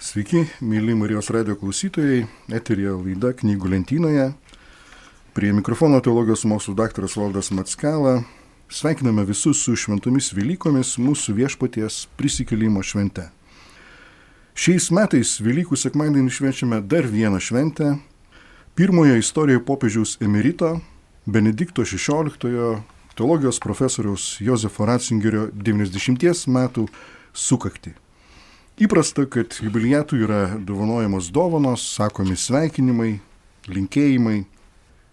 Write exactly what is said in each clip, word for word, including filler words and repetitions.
Sveiki, mėly Marijos radijo klausytojai, eteryje laida Knygų lentynoje. Prie mikrofono teologijos mokslų daktaras Valdas Mackela. Sveikiname visus su šventomis Velykomis mūsų viešpaties prisikėlimo švente. Šiais metais Velykų sekmadienį švenčiame dar vieną šventę. Pirmojo istorijoje popiežiaus emerito Benedikto šešioliktojo teologijos profesoriaus Jozefo Ratzingerio devyniasdešimties metų sukaktį. Įprasta, kad jubiliatų yra dovanojamos dovanos, sakomi sveikinimai, linkėjimai.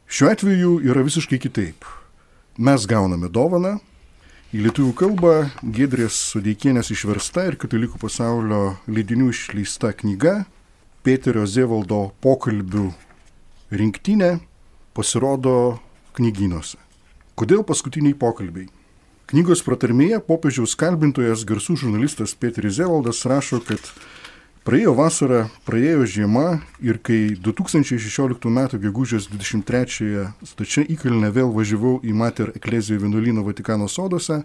Šiuo atveju yra visiškai kitaip. Mes gauname dovaną, į lietuvių kalbą Giedrės Sodeikienės išversta ir katalikų pasaulio leidinių išleista knyga Pėterio Zevaldo pokalbių rinktinė pasirodo knygynuose. Kodėl paskutiniai pokalbiai? Knygos pratarmėje popiežiaus kalbintojas garsų žurnalistas Pėteris Zevaldas rašo, kad praėjo vasara, praėjo žiema ir kai du tūkstančiai šešioliktų metų gegužės dvidešimt trečiąją stačia įkalne vėl važiavau į Mater Ecclesiae vienuolyną Vatikano soduose,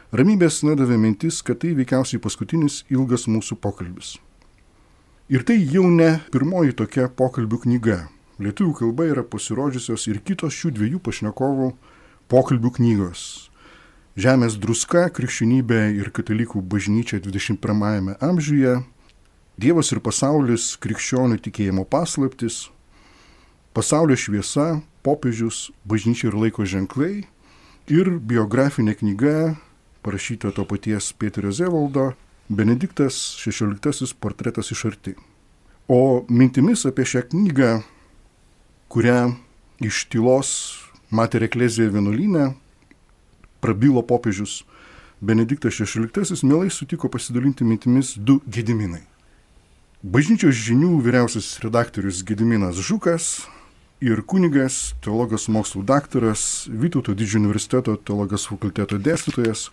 ramybės nedavė mintis, kad tai veikiausiai paskutinis ilgas mūsų pokalbis. Ir tai jau ne pirmoji tokia pokalbių knyga. Lietuvių kalba yra pasirodžiusios ir kitos šių dviejų pašnekovų pokalbių knygos. Žemės druska, krikščionybė ir katalikų bažnyčia dvidešimt pirmajame amžiuje, Dievas ir pasaulis, krikščionių tikėjimo paslaptis, pasaulio šviesa, popiežius, bažnyčia ir laiko ženklai ir biografinė knyga, parašyta to paties Pėterio Zevaldo, Benediktas šešioliktasis portretas iš arti. O mintimis apie šią knygą, kurią iš tylos Mater Ecclesiae vienuolyne prabilo popiežius Benediktas šešioliktasis, mielai sutiko pasidalinti mintimis du Gediminai. Bažnyčios žinių vyriausiasis redaktorius Gediminas Žukas ir kunigas, teologijos mokslų daktaras, Vytauto Didžiojo universiteto teologijos fakulteto dėstytojas,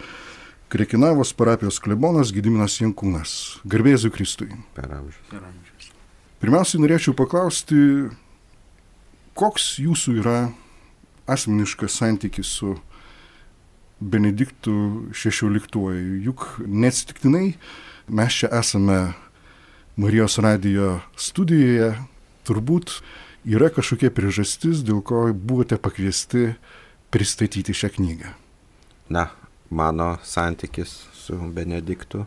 Krekenavos parapijos klebonas Gediminas Jankūnas. Garbė Jėzui Kristui. Per amžius. Pirmiausiai norėčiau paklausti, koks jūsų yra asmeniškas santykis su Benediktu šešioliktuoju. Juk neatsitiktinai mes čia esame Marijos radijo studijoje. Turbūt yra kažkokia priežastis, dėl ko buvote pakviesti pristatyti šią knygą. Na, mano santykis su Benediktu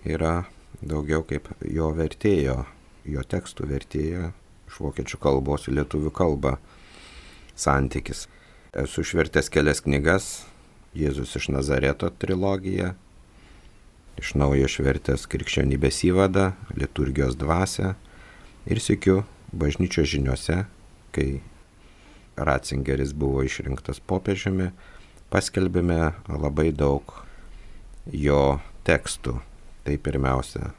yra daugiau kaip jo vertėjo, jo tekstų vertėjo iš vokiečių kalbos į lietuvių kalbą santykis. Esu išvertęs kelias knygas, Jėzus iš Nazareto trilogija, iš naujo išvertęs Krikščionybės įvadą, liturgijos dvasią ir sykiu bažnyčios žiniuose, kai Ratzingeris buvo išrinktas popiežiumi, paskelbėme labai daug jo tekstų. Tai pirmiausia,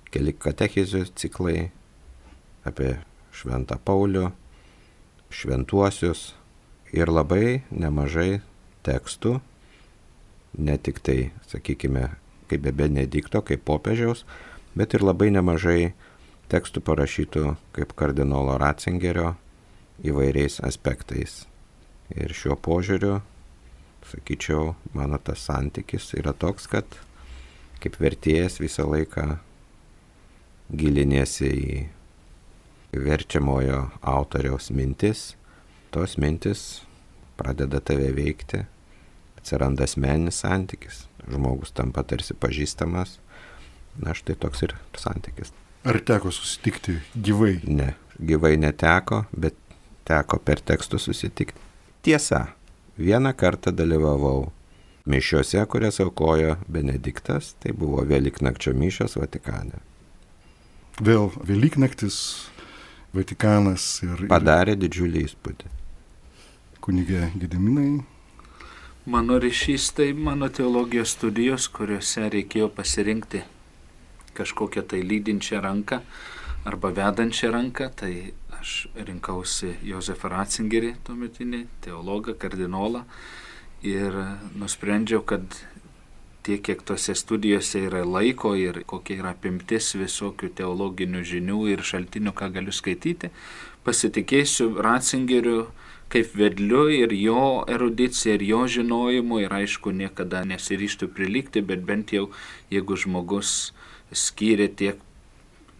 keli katechizių ciklai apie Šventą Paulių, šventuosius ir labai nemažai tekstų, ne tik tai, sakykime, kaip be Benedikto, kaip popiežiaus, bet ir labai nemažai tekstų parašytų kaip kardinolo Ratzingerio įvairiais aspektais. Ir šiuo požiūriu, sakyčiau, mano tas santykis yra toks, kad kaip vertėjas visą laiką giliniesi į verčiamojo autoriaus mintis, tos mintis pradeda tave veikti, atsiranda asmeninis santykis, žmogus tampa tarsi pažįstamas, na štai toks ir santykis. Ar teko susitikti gyvai? Ne, gyvai neteko, bet teko per tekstus susitikti. Tiesa, vieną kartą dalyvavau mišiose, kurias aukojo Benediktas, tai buvo Velyknakčio mišios Vatikane. Vėl Velyknaktis, Vatikanas ir... Padarė didžiulį įspūdį. Kunigė Gediminai. Mano ryšys tai mano teologijos studijos, kuriuose reikėjo pasirinkti kažkokią tai lydinčią ranką arba vedančią ranką, tai aš rinkausi Jozefą Ratzingerį, tuometinį teologą, kardinolą, ir nusprendžiau, kad tiek, kiek tose studijose yra laiko ir kokia yra apimtis visokių teologinių žinių ir šaltinių, ką galiu skaityti, pasitikėsiu Ratzingeriu kaip vedliu ir jo erudicija ir jo žinojimu, ir aišku, niekada nesiryžtų prilygti, bet bent jau, jeigu žmogus skyrė tiek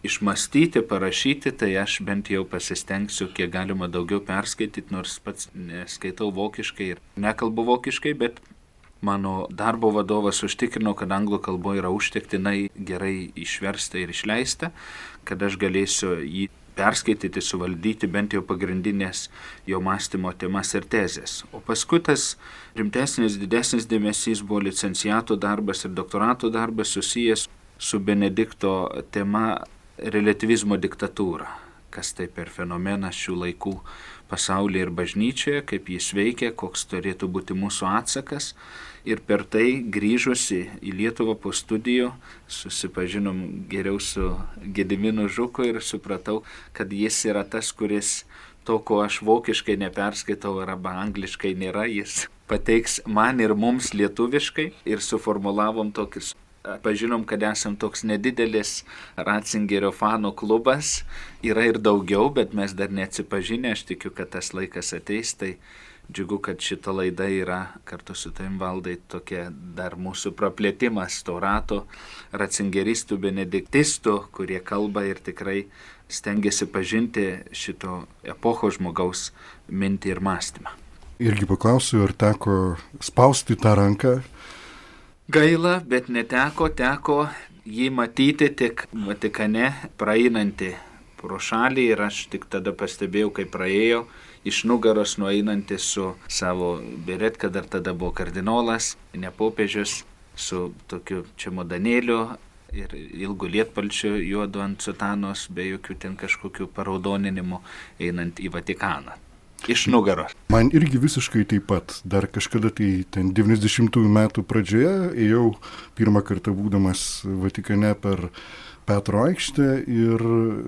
išmastyti, parašyti, tai aš bent jau pasistengsiu kiek galima daugiau perskaityti, nors pats neskaitau vokiškai ir nekalbu vokiškai, bet mano darbo vadovas užtikrino, kad anglų kalboje yra užtektinai gerai išversta ir išleista, kad aš galėsiu jį perskaityti, suvaldyti bent jau pagrindinės jo mąstymo temas ir tezės. O paskui tas rimtesnis, didesnis dėmesys buvo licenciato darbas ir doktorato darbas susijęs su Benedikto tema relativizmo diktatūra. Kas tai per fenomenas šių laikų pasaulyje ir bažnyčioje, kaip jis veikia, koks turėtų būti mūsų atsakas. Ir per tai grįžusi į Lietuvą po studijų susipažinom geriau su Gediminu Žuku ir supratau, kad jis yra tas, kuris to, ko aš vokiškai neperskaitau arba angliškai nėra, jis pateiks man ir mums lietuviškai ir suformulavom tokius. Pažinom, kad esam toks nedidelis Ratzingerio fanų klubas, yra ir daugiau, bet mes dar neatsipažinę, aš tikiu, kad tas laikas ateis, tai džiugu, kad šita laida yra kartu su tavim, Valdai, tokia dar mūsų praplėtimas to rato ratzingeristų, benediktistų, kurie kalba ir tikrai stengiasi pažinti šito epocho žmogaus mintį ir mąstymą. Irgi paklausiu, ar teko spausti tą ranką? Gaila, bet neteko, teko jį matyti tik Vatikane praeinantį pro šalį ir aš tik tada pastebėjau, kai praėjo iš nugaros nueinantį su savo beretka, dar tada buvo kardinolas, ne popiežius, su tokiu čemodanėliu ir ilgu lietpalčiu juodu ant sutanos, be jokių ten kažkokių paraudoninimų einant į Vatikaną. Iš nugaros. Man irgi visiškai taip pat. Dar kažkada tai ten devyniasdešimtųjų metų pradžioje ėjau pirmą kartą būdamas Vatikane per Petro aikštę ir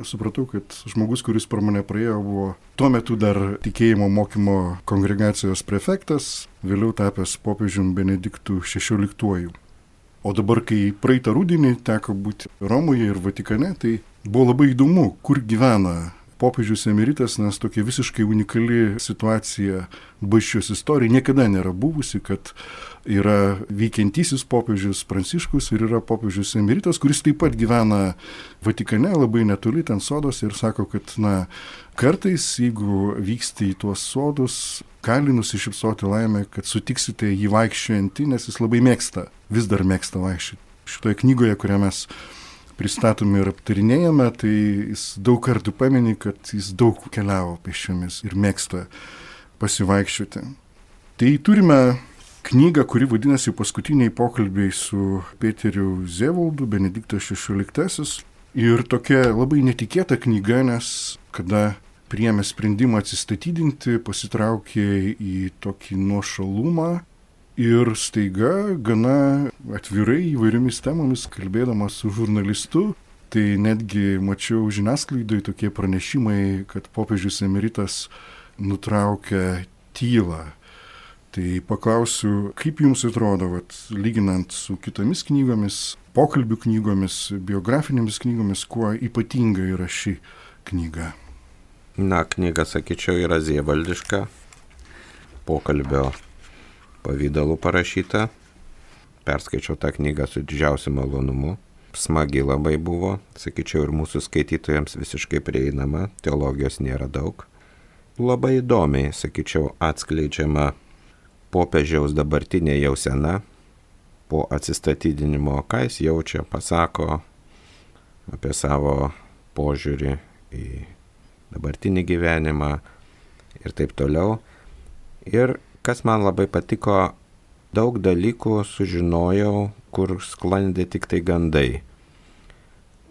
supratau, kad žmogus, kuris per mane praėjo, buvo tuo metu dar tikėjimo mokymo kongregacijos prefektas, vėliau tapęs popiežium Benediktu šešioliktuoju. O dabar, kai praeitą rudenį teko būti Romoje ir Vatikane, tai buvo labai įdomu, kur gyvena popiežius emeritas, nes tokia visiškai unikali situacija bažnyčios istorijoje niekada nėra buvusi, kad yra veikiantysis popiežius Pranciškus ir yra popiežius emeritas, kuris taip pat gyvena Vatikane, labai netoli ten sodos ir sako, kad na, kartais, jeigu vyksti į tuos sodus, gali nusišypsoti laimę, kad sutiksite jį vaikščiojantį, nes jis labai mėgsta, vis dar mėgsta vaikščioti. Šitoje knygoje, kurią mes pristatome ir aptarinėjame, tai jis daug kartų pamini, kad jis daug keliavo pėsčiomis ir mėgsta pasivaikščioti. Tai turime knygą, kuri vadinasi Paskutiniai pokalbiai su Peteriu Zevaldu, Benediktas šešioliktasis. Ir tokia labai netikėta knyga, nes kada priėmė sprendimą atsistatydinti, pasitraukė į tokį nuošalumą. Ir staiga, gana atvirai įvairiomis temomis, kalbėdamas su žurnalistu, tai netgi mačiau žiniasklaidai tokie pranešimai, kad popiežius emeritas nutraukia tylą. Tai paklausiu, kaip jums atrodo, vat, lyginant su kitomis knygomis, pokalbių knygomis, biografinėmis knygomis, kuo ypatinga yra ši knyga? Na, knyga, sakyčiau, yra zievaldiška, pokalbio pavydalu parašyta. Perskaičiau tą knygą su didžiausiu malonumu. Smagi labai buvo, sakyčiau, ir mūsų skaitytojams visiškai prieinama, teologijos nėra daug. Labai įdomiai, sakyčiau, atskleidžiama popiežiaus dabartinė jausena po atsistatydinimo, ką jis jaučia, pasako apie savo požiūrį į dabartinį gyvenimą ir taip toliau. Ir kas man labai patiko, daug dalykų sužinojau, kur sklandė tik tai gandai.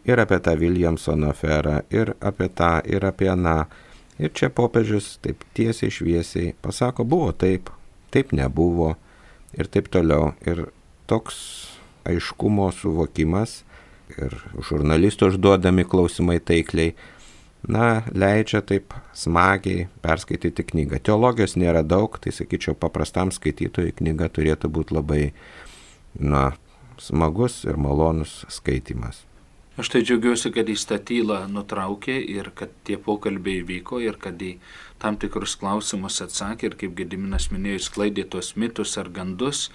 Ir apie tą Williamsono aferą, ir apie tą, ir apie aną. Ir čia popiežius taip tiesiai šviesiai pasako, buvo taip, taip nebuvo, ir taip toliau. Ir toks aiškumo suvokimas, ir žurnalistų užduodami klausimai taikliai, na, leidžia taip smagiai perskaityti knygą. Teologijos nėra daug, tai sakyčiau, paprastam skaitytojui knyga turėtų būti labai, na, smagus ir malonus skaitimas. Aš tai džiaugiuosi, kad jis tą tylą nutraukė ir kad tie pokalbiai vyko ir kad į tam tikrus klausimus atsakė ir kaip Gediminas minėjo, sklaidė tos mitus ar gandus,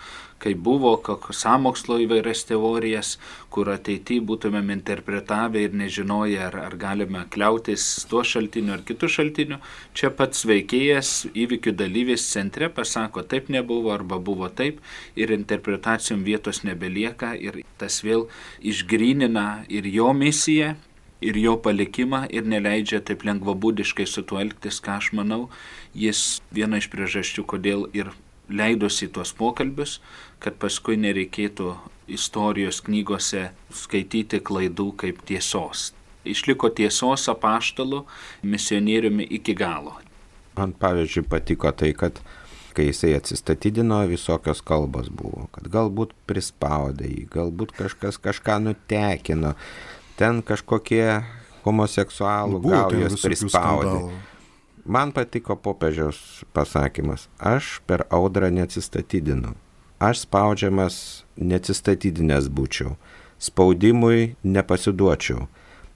kai buvo sąmokslo įvairias teorijas, kur ateityje būtumėm interpretavę ir nežinoję, ar, ar galime kliautis tuo šaltiniu ar kitų šaltiniu. Čia pats veikėjas, įvykių dalyvis centre pasako, taip nebuvo arba buvo taip ir interpretacijom vietos nebelieka ir tas vėl išgrynina ir jo misiją, ir jo palikimą ir neleidžia taip lengvabūdiškai su tuo elgtis, ką aš manau, jis viena iš priežasčių, kodėl ir leidosi tuos pokalbius, kad paskui nereikėtų istorijos knygose skaityti klaidų kaip tiesos. Išliko tiesos apaštalu, misionieriumi iki galo. Man pavyzdžiui patiko tai, kad kai jisai atsistatydino, visokios kalbos buvo, kad galbūt prispaudė jį, galbūt kažkas kažką nutekino, ten kažkokie homoseksualų gaujos prispaudė. Man patiko popiežiaus pasakymas, aš per audrą neatsistatydinu, aš spaudžiamas neatsistatydinęs būčiau, spaudimui nepasiduočiau,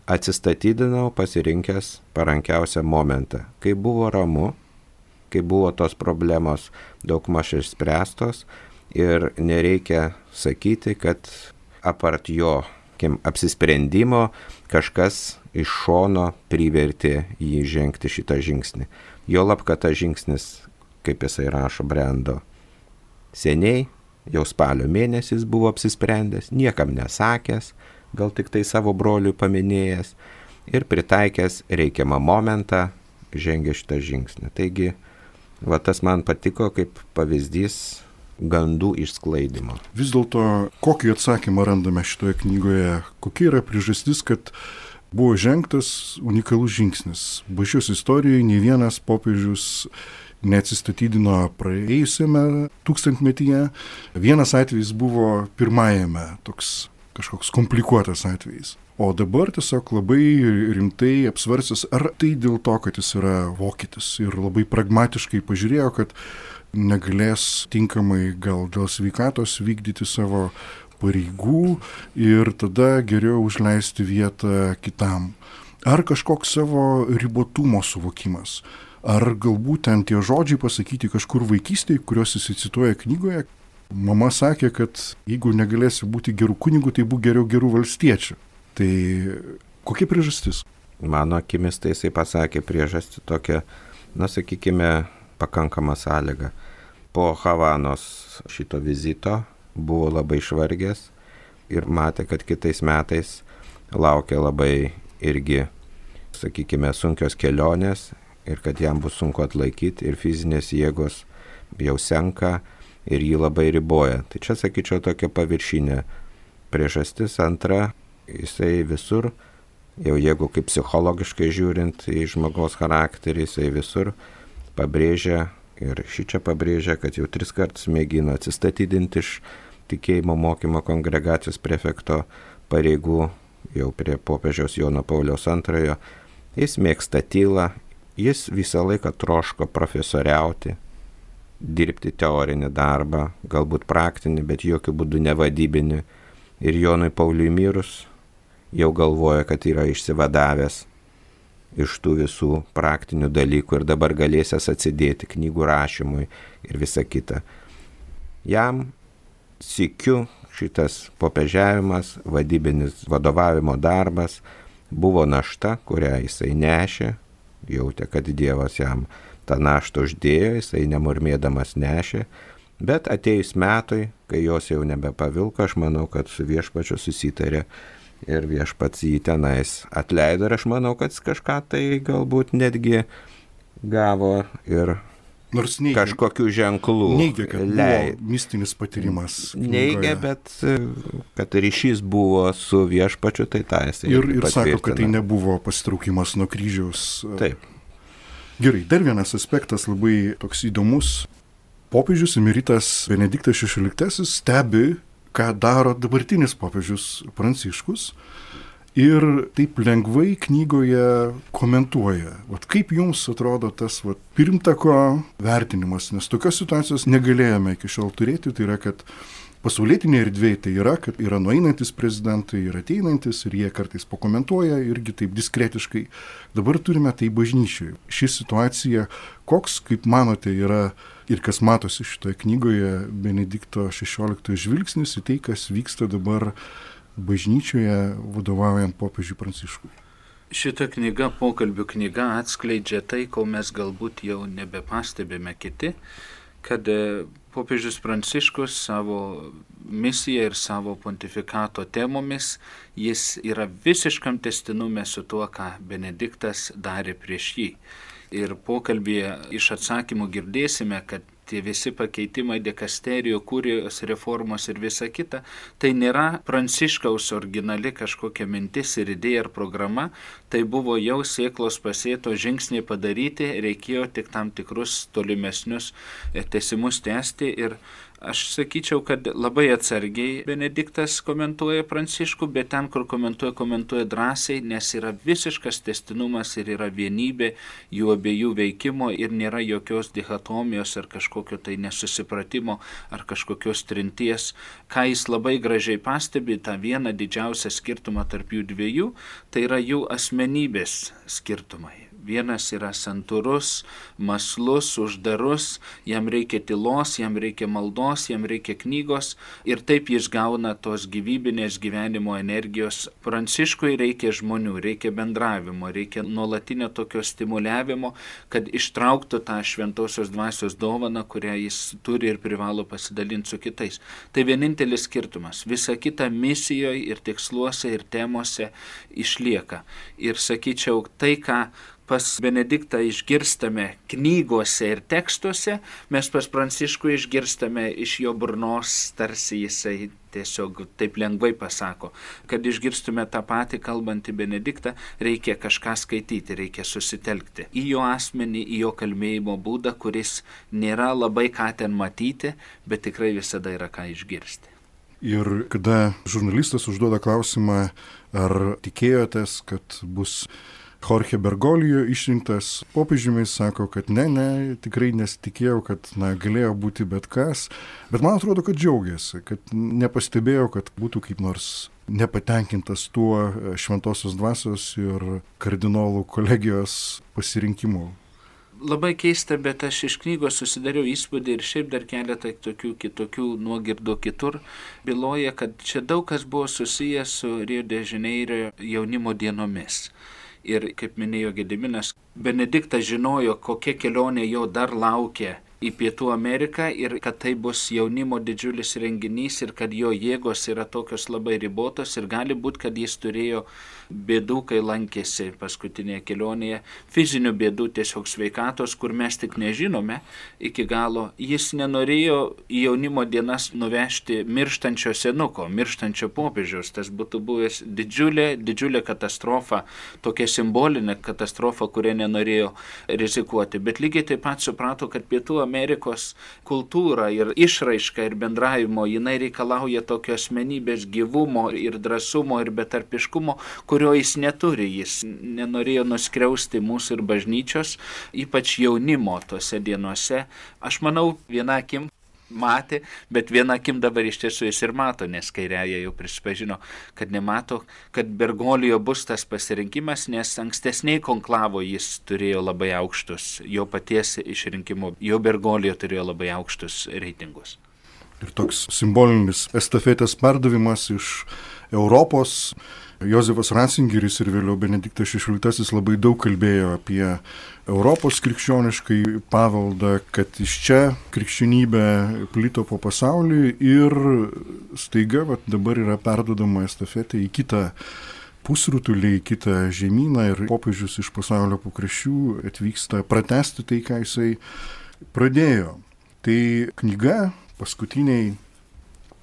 atsistatydinau pasirinkęs parankiausią momentą, kai buvo ramu, kai buvo tos problemos daugmaž išspręstos ir nereikia sakyti, kad apart jo apsisprendimo kažkas iš šono privertė jį žengti šitą žingsnį. Jo lab, kad tas žingsnis, kaip jisai rašo, brendo seniai, jau spalio mėnesis buvo apsisprendęs, niekam nesakęs, gal tik tai savo broliui paminėjęs ir pritaikęs reikiamą momentą žengė šitą žingsnį. Taigi, va tas man patiko kaip pavyzdys gandų išsklaidimo. Vis dėlto, kokį atsakymą randame šitoje knygoje, kokia yra priežastis, kad buvo žengtas unikalus žingsnis. Bažnyčios istorijoje nei vienas popiežius neatsistatydino praėjusiame tūkstantmetyje. Vienas atvejis buvo pirmajame, toks kažkoks komplikuotas atvejis. O dabar tiesiog labai rimtai apsvarstęs, ar tai dėl to, kad jis yra vokietis ir labai pragmatiškai pažiūrėjo, kad negalės tinkamai gal dėl sveikatos vykdyti savo pareigų ir tada geriau užleisti vietą kitam. Ar kažkoks savo ribotumo suvokimas, ar galbūt ten tie žodžiai pasakyti kažkur vaikystėje, kuriuos jis cituoja knygoje. Mama sakė, kad jeigu negalėsi būti gerų kunigų, tai būk geriau gerų valstiečių. Tai kokia priežastis? Mano akimis tai jisai pasakė priežastį tokią, na sakykime, pakankamą sąlygą. Po Havanos šito vizito buvo labai išvargęs ir matė, kad kitais metais laukia labai irgi, sakykime, sunkios kelionės ir kad jam bus sunku atlaikyti ir fizinės jėgos jau senka ir jį labai riboja. Tai čia, sakyčiau, tokia paviršinė priežastis. Antra, jisai visur, jau jeigu kaip psichologiškai žiūrint į žmogaus charakterį, jisai visur pabrėžia ir šičia pabrėžia, kad jau tris kartus mėgino atsistatydinti iš tikėjimo mokymo kongregacijos prefekto pareigų jau prie popiežiaus Jono Pauliaus antrojo. Jis mėgsta tylą, jis visą laiką troško profesoriauti, dirbti teorinį darbą, galbūt praktinį, bet jokių būdų nevadybinį. Ir Jonui Pauliui mirus jau galvoja, kad yra išsivadavęs iš tų visų praktinių dalykų ir dabar galėsęs atsidėti knygų rašymui ir visa kita. Jam sykiu šitas popiežiavimas, vadybinis vadovavimo darbas buvo našta, kurią jisai nešė, jautė, kad Dievas jam tą naštą uždėjo, jisai nemurmėdamas nešė, bet atėjus metui, kai jos jau nebepavilko, aš manau, kad su viešpačiu susitarė ir viešpats jį tenais atleido ir aš manau, kad kažką tai galbūt netgi gavo ir nors neigia, kažkokių ženklų. Neigia, kad lei, buvo mistinis patyrimas. Neigia, bet kad ryšys buvo su viešpačiu, tai tą jisai ir, ir sako, kad tai nebuvo pasitraukimas nuo kryžiaus. Taip. Gerai, dar vienas aspektas labai toks įdomus. Popiežius emeritas Benediktas šešioliktasis stebi, ką daro dabartinis popiežius Pranciškus ir taip lengvai knygoje komentuoja. Vat kaip jums atrodo tas vat, pirmtako vertinimas, nes tokios situacijos negalėjome iki šiol turėti, tai yra, kad pasaulietinė erdvėje tai yra, kad yra nueinantis prezidentai ir ateinantis ir jie kartais pakomentuoja irgi taip diskretiškai. Dabar turime tai bažnyčioje. Ši situacija, koks, kaip manote, yra ir kas matosi šitoje knygoje Benedikto šešioliktojo žvilgsnis į tai, kas vyksta dabar bažnyčioje vadovaujant popiežiui Pranciškui. Šita knyga, pokalbių knyga, atskleidžia tai, ko mes galbūt jau nebepastebime kiti, kad popiežius Pranciškus savo misiją ir savo pontifikato temomis, jis yra visiškam testinume su tuo, ką Benediktas darė prieš jį. Ir pokalbėje iš atsakymų girdėsime, kad tie visi pakeitimai dikasterijų, kurijos reformos ir visa kita, tai nėra Pranciškaus originali kažkokia mintis ir idėja ar programa, tai buvo jau sėklos pasėto žingsniai padaryti, reikėjo tik tam tikrus tolimesnius tęsimus tęsti ir aš sakyčiau, kad labai atsargiai Benediktas komentuoja Pranciškų, bet ten, kur komentuoja, komentuoja drąsiai, nes yra visiškas tęstinumas ir yra vienybė jų abiejų veikimo ir nėra jokios dichotomijos ar kažkokio tai nesusipratimo ar kažkokios trinties. Ką jis labai gražiai pastebi, tą vieną didžiausią skirtumą tarp jų dviejų, tai yra jų asmenybės skirtumai. Vienas yra santūrus, mąslus, uždarus, jam reikia tylos, jam reikia maldos, jam reikia knygos ir taip jis gauna tos gyvybinės gyvenimo energijos. Pranciškui reikia žmonių, reikia bendravimo, reikia nuolatinio tokio stimuliavimo, kad ištrauktų tą šventosios dvasios dovaną, kurią jis turi ir privalo pasidalinti su kitais. Tai vienintelis skirtumas. Visa kita misijoje ir tiksluose ir temose išlieka. Ir sakyčiau, tai, ką pas Benediktą išgirstame knygose ir tekstuose, mes pas Pranciškų išgirstame iš jo burnos, tarsi jisai tiesiog taip lengvai pasako. Kad išgirstume tą patį kalbantį Benediktą, reikia kažką skaityti, reikia susitelkti į jo asmenį, į jo kalbėjimo būdą, kuris nėra labai ką ten matyti, bet tikrai visada yra ką išgirsti. Ir kada žurnalistas užduoda klausimą, ar tikėjotės, kad bus Jorge Bergoglio išrinktas popiežiumi, sako, kad ne, ne, tikrai nesitikėjau, kad na, galėjo būti bet kas, bet man atrodo, kad džiaugiasi, kad nepastebėjau, kad būtų kaip nors nepatenkintas tuo šventosios dvasios ir kardinolų kolegijos pasirinkimu. Labai keista, bet aš iš knygos susidariau įspūdį ir šiaip dar keletą tokių kitokių nuogirdų kitur byloja, kad čia daug kas buvo susijęs su Rio de Janeiro jaunimo dienomis. Ir, kaip minėjo Gediminas, Benediktas žinojo, kokia kelionė jo dar laukia į Pietų Ameriką ir kad tai bus jaunimo didžiulis renginys ir kad jo jėgos yra tokios labai ribotos ir gali būti, kad jis turėjo bėdų, kai lankėsi paskutinėje kelionėje, fizinių bėdų, tiesiog sveikatos, kur mes tik nežinome iki galo. Jis nenorėjo į jaunimo dienas nuvežti mirštančio senuko, mirštančio popiežiaus. Tas būtų buvęs didžiulė, didžiulė katastrofa, tokia simbolinė katastrofa, kurią nenorėjo rizikuoti. Bet lygiai taip pat suprato, kad Pietų Amerikos kultūra ir išraiška ir bendravimo, jinai reikalauja tokio asmenybės gyvumo ir drąsumo ir betarpiškumo, kurio jis neturi. Jis nenorėjo nuskriausti mūsų ir bažnyčios, ypač jaunimo tose dienose. Aš manau, viena akim matė, bet viena akim dabar iš tiesų jis ir mato, nes kairiaja jau prisipažino, kad nemato, kad Bergoglio bus tas pasirinkimas, nes ankstesniai konklavo jis turėjo labai aukštus, jo paties išrinkimo, jo Bergoglio turėjo labai aukštus reitingus. Ir toks simbolinis estafetės perdavimas iš Europos. Jozefas Ratzingeris ir vėliau Benediktas šešioliktasis labai daug kalbėjo apie Europos krikščioniškai paveldą, kad iš čia krikščionybė plito po pasaulį ir staiga vat, dabar yra perduodama estafetė į kitą pusrutulį, į kitą žemyną ir popiežius iš pasaulio pakraščių atvyksta pratęsti tai, ką jisai pradėjo. Tai knyga paskutiniai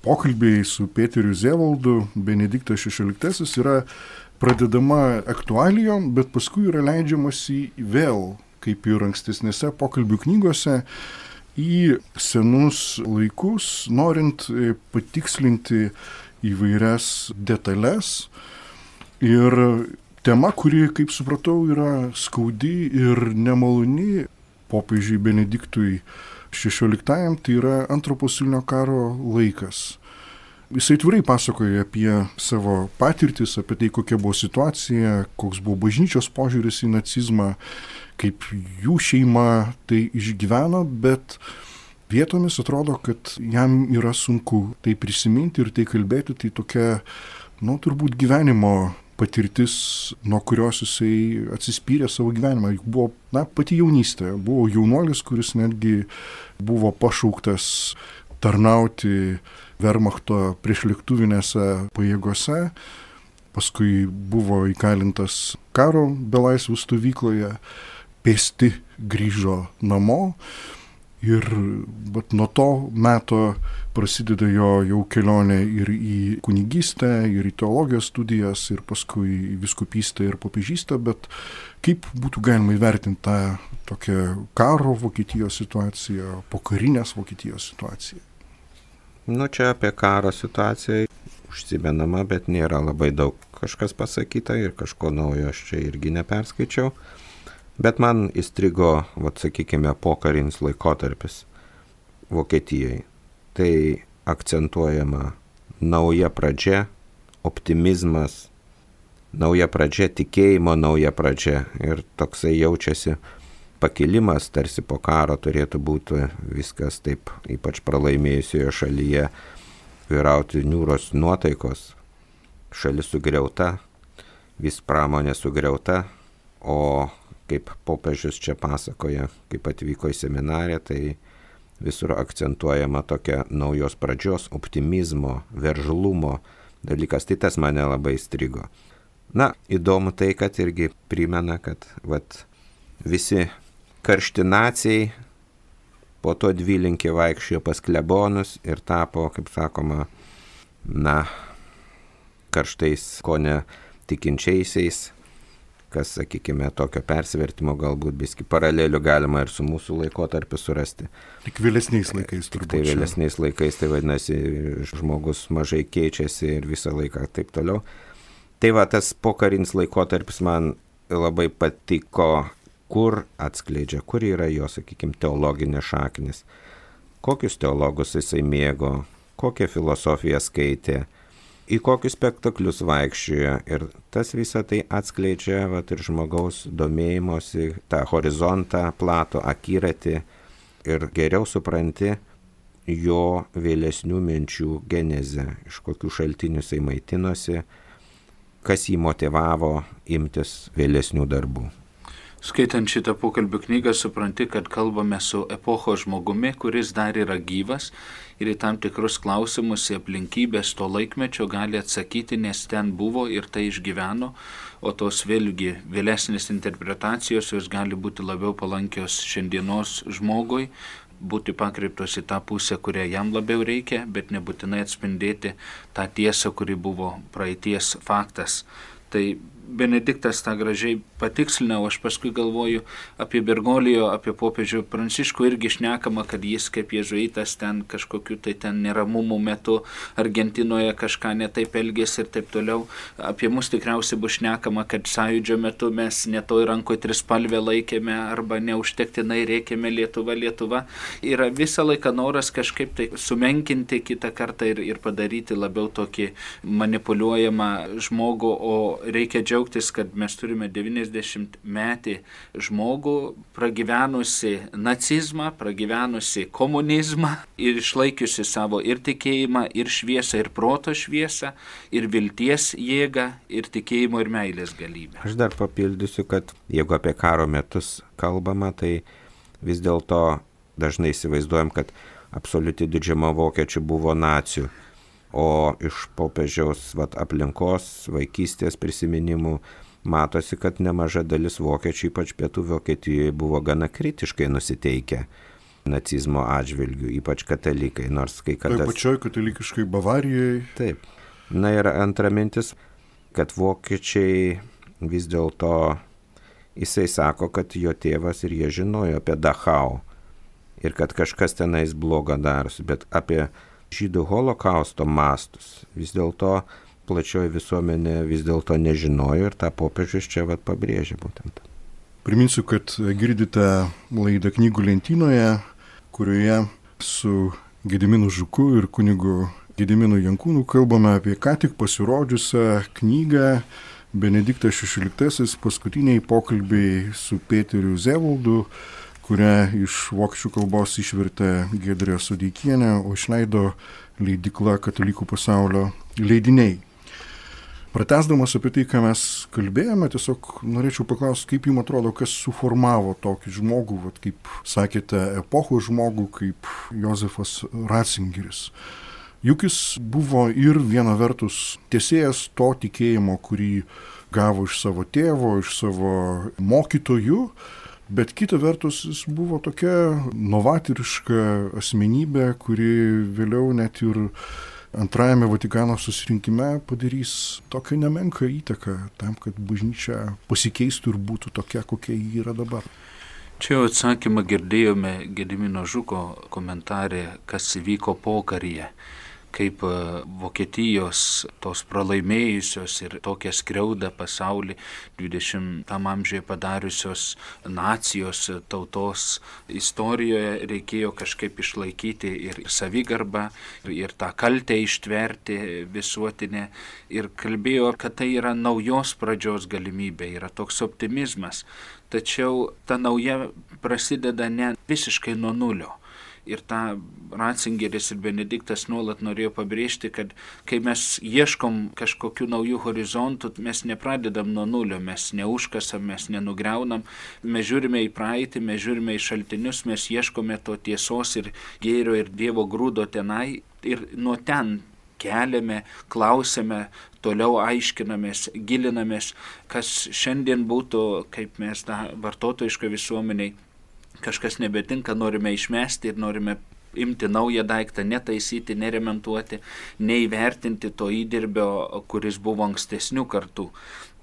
pokalbiai su Peteriu Zevaldu, Benediktas šešioliktasis yra pradedama aktualijom, bet paskui yra leidžiamasi vėl, kaip ir ankstesnėse pokalbių knygose, į senus laikus, norint patikslinti įvairias detalės. Ir tema, kuri, kaip supratau, yra skaudi ir nemaloni popiežiui Benediktui šešioliktajam, tai yra antro pasaulinio karo laikas. Jisai atvirai pasakoja apie savo patirtis, apie tai, kokia buvo situacija, koks buvo bažnyčios požiūris į nacizmą, kaip jų šeima tai išgyveno, bet vietomis atrodo, kad jam yra sunku tai prisiminti ir tai kalbėti, tai tokia, nu, turbūt gyvenimo patirtis, nuo kurios jisai atsispyrė savo gyvenimą. Juk buvo, na, pati jaunystė, buvo jaunuolis, kuris netgi buvo pašauktas tarnauti Wehrmachto priešlėktuvinėse pajėgose, paskui buvo įkalintas karo belaisvių stovykloje, pėsti grįžo namo ir bet nuo to meto prasideda jo jau kelionė ir į kunigystę, ir į teologijos studijas, ir paskui į vyskupystę ir popiežystę, bet kaip būtų galima įvertinti tą tokią karo Vokietijos situaciją, pokarinės Vokietijos situaciją? Nu, čia apie karo situaciją užsimenama, bet nėra labai daug kažkas pasakyta ir kažko naujo aš čia irgi neperskaičiau. Bet man įstrigo, vat, sakykime, pokarinis laikotarpis Vokietijai. Tai akcentuojama nauja pradžia, optimizmas, nauja pradžia, tikėjimo nauja pradžia. Ir toksai jaučiasi pakilimas, tarsi po karo turėtų būti viskas taip, ypač pralaimėjusioje šalyje, vyrauti niūros nuotaikos, šalis sugriauta, vis pramonė sugriauta, o kaip popiežius čia pasakoja, kaip atvyko į seminariją, tai visur akcentuojama tokia naujos pradžios, optimizmo, veržlumo dalykas, tai tas mane labai strigo. Na, įdomu tai, kad irgi primena, kad vat, visi karštinacijai po to dvilinkį vaikščiojo pas klebonus ir tapo, kaip sakoma, na, karštais kone tikinčiaisiais, kas, sakykime, tokio persvertimo galbūt biski paralelių galima ir su mūsų laikotarpiu surasti. Tik vėlesniais laikais turbūt. Tai vėlesniais laikais, tai vadinasi, žmogus mažai keičiasi ir visą laiką taip toliau. Tai va, tas pokarinis laikotarpis man labai patiko, kur atskleidžia, kur yra jo, sakykime, teologinės šaknis, kokius teologus jisai mėgo, kokią filosofiją skaitė, į kokius spektaklius vaikščiojo ir tas visą tai atskleidžia vat, ir žmogaus domėjimosi, tą horizontą, platų akiratį ir geriau supranti jo vėlesnių minčių genezę, iš kokių šaltinių jisai maitinosi, kas jį motivavo imtis vėlesnių darbų. Skaitant šitą pokalbių knygą, supranti, kad kalbame su epochos žmogumi, kuris dar yra gyvas ir į tam tikrus klausimus, į aplinkybės to laikmečio gali atsakyti, nes ten buvo ir tai išgyveno, o tos vėlgi vėlesnės interpretacijos jos gali būti labiau palankios šiandienos žmogui, būti pakreiptos į tą pusę, kurią jam labiau reikia, bet nebūtinai atspindėti tą tiesą, kuri buvo praeities faktas. Tai Benediktas tą gražiai patikslina, o aš paskui galvoju apie Bergolijo, apie popiežių Pranciškų irgi šnekama, kad jis kaip jėzuitas ten kažkokiu tai ten neramumų metu Argentinoje kažką netaip elgėsi ir taip toliau. Apie mus tikriausiai bus šnekama, kad sąjūdžio metu mes netoj rankoje trispalvę laikėme arba neužtektinai rėkėme Lietuva, Lietuva. Yra visą laiką noras kažkaip tai sumenkinti kitą kartą ir, ir padaryti labiau tokį manipuliuojamą žmogų, o reikia džiaugtis, kad mes turime devyniasdešimt metį žmogų, pragyvenusi nacizmą, pragyvenusi komunizmą ir išlaikiusi savo ir tikėjimą, ir šviesą, ir proto šviesą, ir vilties jėgą, ir tikėjimo ir meilės galybę. Aš dar papildysiu, kad jeigu apie karo metus kalbama, tai vis dėlto dažnai įsivaizduojam, kad absoliuti didžiuma vokiečių buvo nacių. O iš popiežiaus vat, aplinkos, vaikystės prisiminimų matosi, kad nemaža dalis vokiečių, ypač pietų Vokietijoje, buvo gana kritiškai nusiteikę nacizmo atžvilgių, ypač katalikai, nors kai kada... Tai pačioj katalikiškai Bavarijai. Taip. Na ir antra mintis, kad vokiečiai vis dėlto, jisai sako, kad jo tėvas ir jie žinojo apie Dachau ir kad kažkas tenais bloga darosi, bet apie žydų holokausto mastus vis dėlto plačioji visuomenė vis dėlto nežinojo ir tą popiežius čia vat pabrėžia būtent. Priminsiu, kad girdite laidą Knygų lentynoje, kurioje su Gediminu Žuku ir kunigu Gediminu Jankūnu kalbame apie ką tik pasirodžiusią knygą Benediktas šešioliktasis paskutiniai pokalbiai su Peteriu Zevaldu, kurią iš vokiečių kalbos išvertė Giedrė Sodeikienė, o išleido leidykla Katalikų pasaulio leidiniai. Pratęsdamas apie tai, ką mes kalbėjome, tiesiog norėčiau paklausti, kaip jums atrodo, kas suformavo tokį žmogų, vat, kaip sakėte, epochos žmogų, kaip Jozefas Ratzingeris. Juk jis buvo ir viena vertus tiesėjas to tikėjimo, kurį gavo iš savo tėvo, iš savo mokytojų, bet kita vertus jis buvo tokia novatoriška asmenybė, kuri vėliau net ir antrajame Vatikano susirinkime padarys tokią nemenką įtaką tam, kad bažnyčia pasikeistų ir būtų tokia, kokia ji yra dabar. Čia jau atsakymą girdėjome Gedimino Žuko komentarė, kas įvyko pokaryje, kaip Vokietijos tos pralaimėjusios ir tokią skriaudą pasaulį dvidešimtam amžiuje padariusios nacijos tautos istorijoje reikėjo kažkaip išlaikyti ir savigarbą, ir tą kaltę ištverti visuotinę. Ir kalbėjo, kad tai yra naujos pradžios galimybė, yra toks optimizmas. Tačiau ta nauja prasideda ne visiškai nuo nulio. Ir tą Ratzingeris ir Benediktas nuolat norėjo pabrėžti, kad kai mes ieškom kažkokių naujų horizontų, mes nepradedam nuo nulio, mes neužkasam, mes nenugriaunam, mes žiūrime į praeitį, mes žiūrime į šaltinius, mes ieškome to tiesos ir gėrio ir Dievo grūdo tenai ir nuo ten keliame, klausime, toliau aiškinamės, gilinamės, kas šiandien būtų, kaip mes tą vartotojišką visuomeniai, kažkas nebetinka, norime išmesti ir norime imti naują daiktą, netaisyti, neremontuoti, neįvertinti to įdirbio, kuris buvo ankstesnių kartų.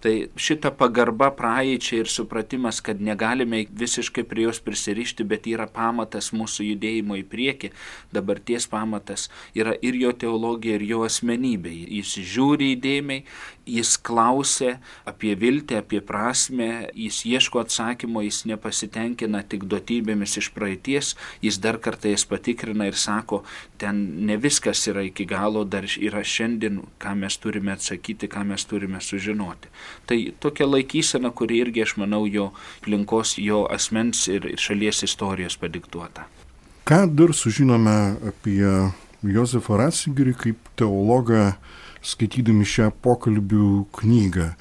Tai šita pagarba praeičiai ir supratimas, kad negalime visiškai prie jos prisirišti, bet yra pamatas mūsų judėjimo į priekį, dabarties pamatas yra ir jo teologija, ir jo asmenybė. Jis žiūri įdėmiai, jis klausia apie viltį, apie prasmę, jis ieško atsakymo, jis nepasitenkina tik duotybėmis iš praeities, jis dar kartą jas patikrina ir sako, ten ne viskas yra iki galo, dar yra šiandien, ką mes turime atsakyti, ką mes turime sužinoti. Tai tokia laikysena, kuri irgi, aš manau, jo aplinkos, jo asmens ir šalies istorijos padiktuota. Ką dar sužinome apie Jozefą Ratzingerį kaip teologą, skaitydami šią pokalbių knygą?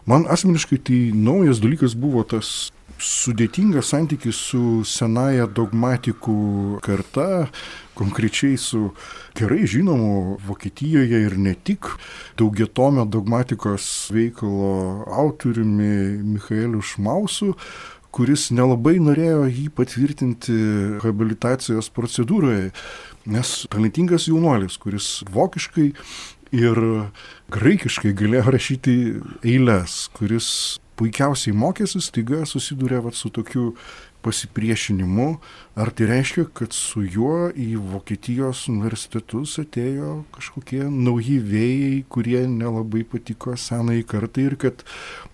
Man asmeniškai tai naujas dalykas buvo tas sudėtingas santykis su senaja dogmatikų karta, konkrečiai su gerai žinomu Vokietijoje ir ne tik daugiatomio dogmatikos veikalo autoriumi Michaeliu Šmausu, kuris nelabai norėjo jį patvirtinti habilitacijos procedūroje, nes talentingas jaunuolis, kuris vokiškai ir graikiškai galėjo rašyti eiles, kuris puikiausiai mokėsi, staiga susidūrė vat, su tokiu pasipriešinimu. Ar tai reiškia, kad su juo į Vokietijos universitetus atėjo kažkokie nauji vėjai, kurie nelabai patiko senai kartai ir kad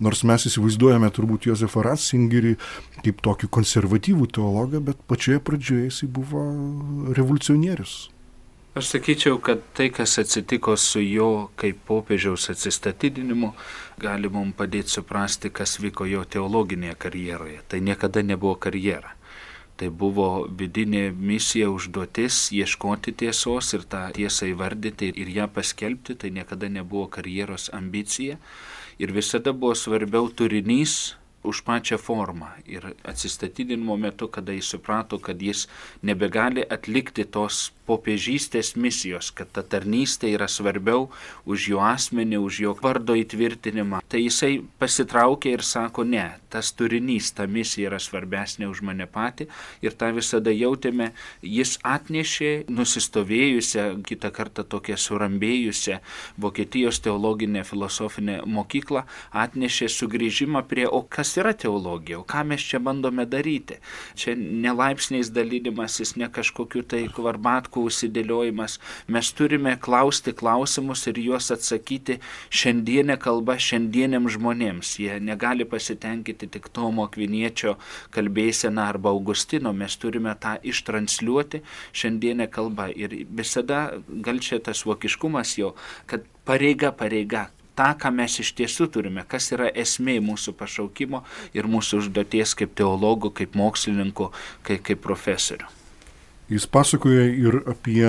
nors mes įsivaizduojame turbūt Jozefą Ratzingerį kaip tokį konservatyvų teologą, bet pačioje pradžioje jisai buvo revoliucionierius? Aš sakyčiau, kad tai, kas atsitiko su jo kaip popiežiaus atsistatydinimu, gali mums padėti suprasti, kas vyko jo teologinėje karjeroje. Tai niekada nebuvo karjera. Tai buvo vidinė misija, užduotis ieškoti tiesos ir tą tiesą įvardyti ir ją paskelbti. Tai niekada nebuvo karjeros ambicija. Ir visada buvo svarbiau turinys už pačią formą. Ir atsistatydinimo metu, kada jis suprato, kad jis nebegali atlikti tos popiežystės misijos, kad ta tarnystė yra svarbiau už jo asmenį, už jo vardo įtvirtinimą. Tai jisai pasitraukė ir sako, ne, tas turinys, ta misija yra svarbesnė už mane patį. Ir tą visada jautėme, jis atnešė nusistovėjusią, kitą kartą tokią surambėjusią Vokietijos teologinę filosofinę mokyklą, atnešė sugrįžimą prie, o kas yra teologija, o ką mes čia bandome daryti. Čia ne laipsniais dalinimasis, ne kažkokiu tai kvarbatkų užsidėliojimas. Mes turime klausti klausimus ir juos atsakyti šiandienę kalbą šiandieniam žmonėms. Jie negali pasitenkinti tik Tomo Akviniečio kalbėseną arba Augustino. Mes turime tą ištransliuoti šiandienę kalbą. Ir visada gal čia tas vokiškumas jo, kad pareiga, pareiga. Ta, ką mes iš tiesų turime, kas yra esmė mūsų pašaukimo ir mūsų užduoties kaip teologų, kaip mokslininkų, kaip, kaip profesorių. Jis pasakoja ir apie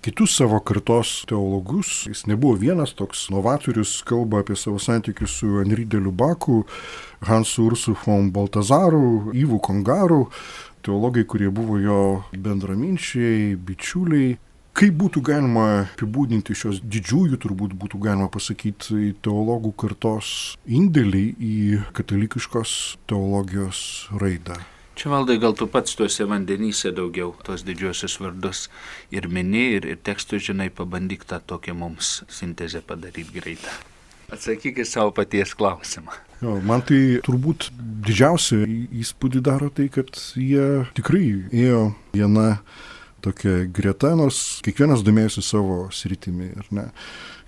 kitus savo kartos teologus. Jis nebuvo vienas toks novatorius, kalba apie savo santykius su Henri de Lubaku, Hansu Ursu von Baltazaru, Yvu Kongaru, teologai, kurie buvo jo bendraminčiai, bičiuliai. Kaip būtų galima apibūdinti šios didžiųjų, turbūt būtų galima pasakyti, teologų kartos indėlį į katalikiškos teologijos raidą? Čia, Valdai, gal tu pats tuose vandenyse daugiau tos didžiosius vardus ir mini, ir, ir tekstus žinai, pabandyk tą tokią mums sintezę padaryti greitą. Atsakyk į savo paties klausimą. Jo, man tai turbūt didžiausia įspūdį daro tai, kad jie tikrai ėjo viena tokia greta, nors kiekvienas domėjosi savo sritimi, ar ne?